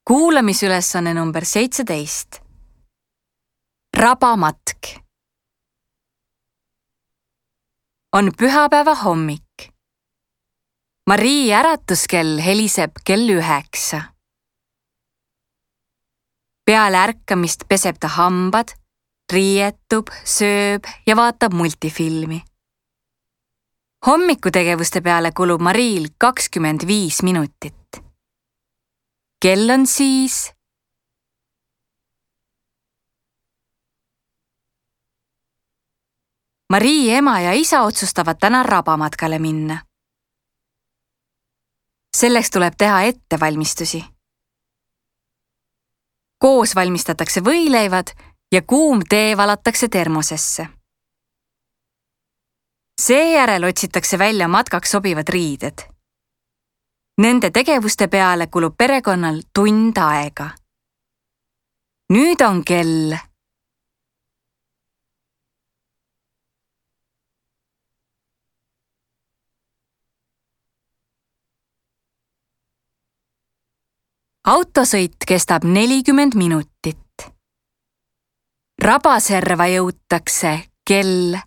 Kuulamisülesanne number 17. Rabamatk. On pühapäeva hommik. Marii äratuskell heliseb kell 9. Peale ärkamist peseb ta hambad, riietub, sööb ja vaatab multifilmi. Hommikutegevuste peale kulub Mariil 25 minutit. Kell on siis Marii ema ja isa otsustavad täna rabamatkale minna. Selleks tuleb teha ettevalmistusi. Koos valmistatakse võileivad ja kuum tee valatakse termosesse. Seejärel otsitakse välja matkaks sobivad riided. Nende tegevuste peale kulub perekonnal tund aega. Nüüd on kell autosõit kestab 40 minutit. Rabaserva jõutakse kell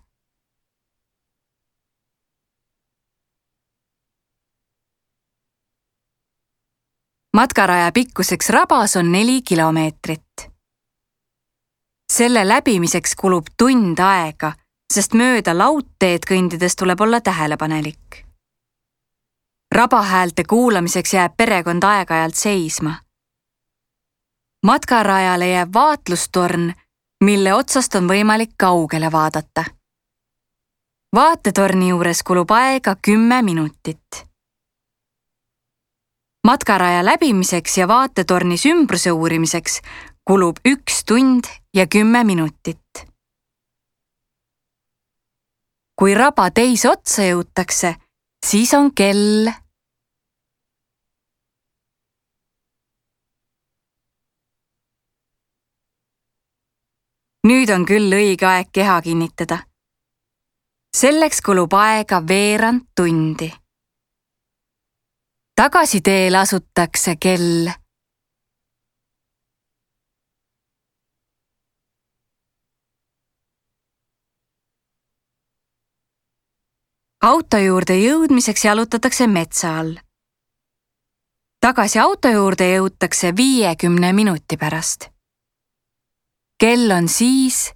matkaraja pikkuseks rabas on 4 kilomeetrit. Selle läbimiseks kulub tund aega, sest mööda laudteed kõndides tuleb olla tähelepanelik. Rabahäälte kuulamiseks jääb perekond aeg-ajalt seisma. Matkarajale jääb vaatlustorn, mille otsast on võimalik kaugele vaadata. Vaatetorni juures kulub aega 10 minutit. Matkaraja läbimiseks ja vaatetornis ümbruse uurimiseks kulub 1 tund ja 10 minutit. Kui raba teise otsa jõutakse, siis on kell Nüüd on küll õige aeg keha kinnitada. Selleks kulub aega veerand tundi. Tagasiteel asutakse kell auto juurde jõudmiseks jalutatakse metsa all. Tagasi auto juurde jõutakse 50 minuti pärast. Kell on siis